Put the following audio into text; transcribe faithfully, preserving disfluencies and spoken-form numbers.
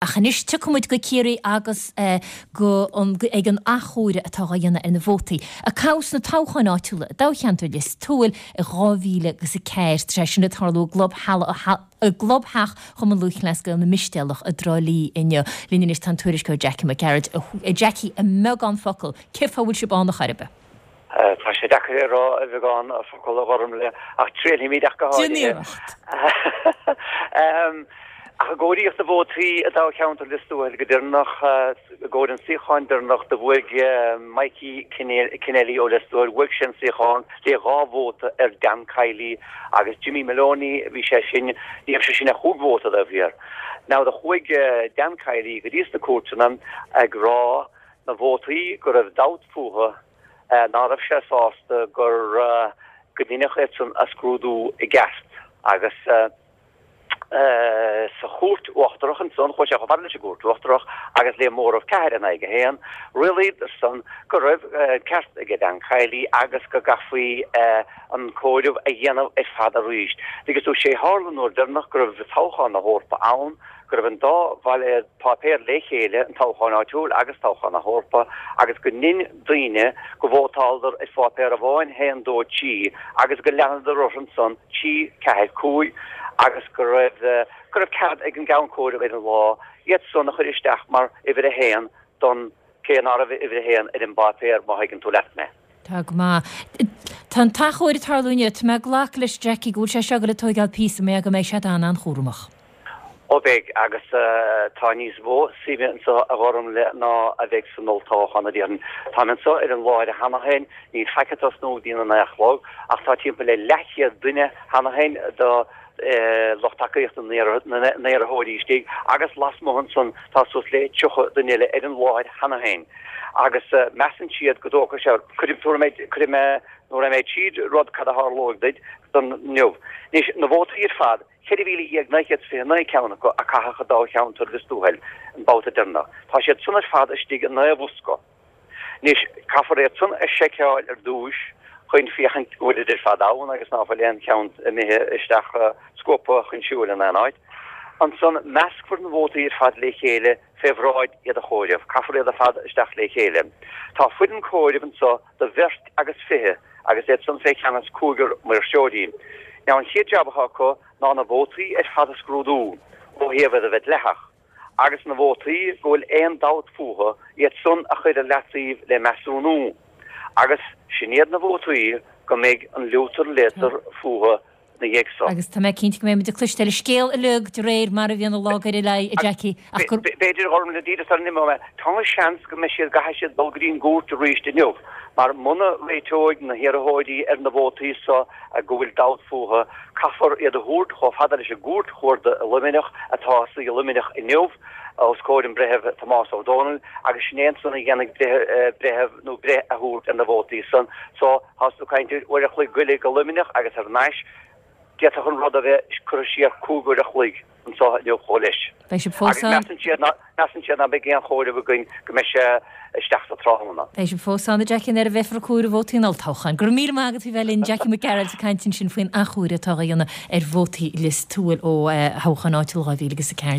Ach anois tiocfaidh muid go Ciarraí agus go an ag an athchomhaireamh atá á dhéanamh ar na vótaí a caitheadh sna toghcháin áitiúla i dtoghcheantar Lios Tuathail i dhá mhíle agus a ceathair. Tá sé sin ag tarlú i gClub i gClubtheach Chumann Lúthchleas Gael na Mistéalach i dTrá Lí inniu. Linn anois tá an tuairisceoir Jackie Mac Gearailt. A Jackie, i mbeagán focal, cén fáth a bhfuil sibh ann a chor ar bith? Tá sé deacair a rá i bheagán focal a Ghormlaith, ach triailfimid ach go háirithe. Déan iarracht. Ach i gcomhairíodh na vótaí i dtoghcheantar Lios Tuathail go deireanach, i gcomhair an suíocháin deireanach, do bhuaigh Mikey Kennelly ó Lios Tuathail, bhuaigh sé an suíochán le dhá vóta ar Dan Kiely agus Jimmy Moloney, bhí sé sin, ní raibh sé sin ach chúig vóta taobh thiar. Now do chuaigh Dan Kiely go dtí sna cúirteanna ag rá na vótaí go raibh dabht fúthu, ná raibh sé sásta gur go ndeineadh iad san a scrúdú i gceart agus sa Chúirt Uachtarach ansan, chuaigh sé chomh fada leis an gCúirt Uachtarach agus le móramh ceathair in aghaidh a haon, rialaíodar san go raibh an ceart aige Dan Kiely agus go gcaithfí an comhaireamh a dhéanamh ar fad arís. Agus tú sé tharla an uair deireanach go raibh toghchán na hEorpa ann, go raibh an dá bhailéad páipéar le chéile, an toghchán áitiúil agus toghchán na hEorpa, agus go ndein daoine go vótáladar ar pháipéar amháin, haon, dó, trí, agus go leanadar orthu ansan, trí, ceathair, cúig, agus go raibh go raibh cead ag an gceann comhairimh ar an lá iad san a chur isteach mar uimhir a haon don cé ná raibh uimhir a haon ar an bpáipéar, má thuigeann tú leat mé. Tá go maith. Tá an t-achomharc ag tarlú inniu. Tá mé ag glacadh leis, Jackie, go bhfuil sé seo ag dul ag tóigeáil píosa mar go mbeidh siad an-an-chúramach. Ó beidh, agus tá níos mó suime anseo a Ghormlaith ná a bheidh san olltoghchán a déarfainn. Táim anseo ar an láthair cheana féin, níl faic ag tosnú go dtí a naoi a chlog, ach tá timpeall le leathchéad duine cheana féin de lucht tacaíochta na n-iarrthóirí istigh agus lasmuigh ansan tá suas le tríocha duine eile ar an láthair cheana féin agus measann siad go dtógfaidh sé, cuirfidh mé, cuirfidh mé, nuair a mbeidh tríd rud cad a tharlóidh duit don inniu. Anois, na vótaí ar fad, ceithre mhíle dhéag naoi gcéad is fiche naoi ceann acu a caitheadh i dtoghcheantar Lios Tuathail an babhta deireanach. Tá siad san ar fad istigh i naoi bhosca. Anois, caithfear iad san a sheiceáil ar dtúis chun féachaint go bhfuilid ar fad ann agus ná fuil aon cheann imithe isteach scuabtha chun siúil in aon áit. Ansan, meascfar na vótaí ar fad le chéile fé bhráid iad a chomhaireamh. Caithfear iad ar fad isteach le chéile. Tá foireann comhairimh anso de bheirt agus fiche agus iad san fé cheannas cúigear maoirseoirí. Now an chéad jab atá acu ná na vótaí ar fad a scrúdú ó thaobh iad a bheith dleathach, agus na vótaí go bhfuil aon dabht fúthu, iad san a chur ar leataobh le measúnú, agus sin iad na vótaí go mbeidh an liútar léatar fúthu 'na dhiaidh so. Agus tá mé cinnte go mbeidh muid ag cloisteáil an scéal uilig de réir mar a bhíonn an lá ag dul ar aghaidh, a Jackie, ach gur. B'fhéidir, a Ghormlaith, díreach sara n-imeoidh mé, tá seans go mbeidh siad, gcaithfidh siad dul go dtí an gcúirt arís inniu, mar muna réiteoidh na hiarrthóirí ar na vótaí so, go bhfuil dabht fúthu, caithfear iad a thabhairt chomh fada leis an gCúirt Chuarda i Luimneach, atá ag suí i Luimneach inniu, os comhair an Bhreithimh Tomás Ó Dónaill, agus sin é ansan a dhéanfaidh breitheamh nó breith a thabhairt ar na vótaí san. So, tá tú ag caint ar uair a chloig goile go Luimneach agus thar n-ais, d'fhéadfadh an rud a bheith curtha siar cúig uair a chloig anso inniu chomh leis. Beidh sibh fós Agus ann. measann siad ná, measann siad ná beidh aon chomhaireamh againn go mbeidh sé isteach sa tráthnóna. Beidh sibh fós ann, a Jackie, nuair a bheifear ag comhaireamh vótaí an olltoghcháin. Go raibh míle maith agat faoi bheith linn, Jackie Mac Gearailt ag caint ansin faoin athchomhaireamh atá á dhéanamh ar vótaí Lios Tuathail ó thoghchán áitiúil dhá mhíle agus a ceathair.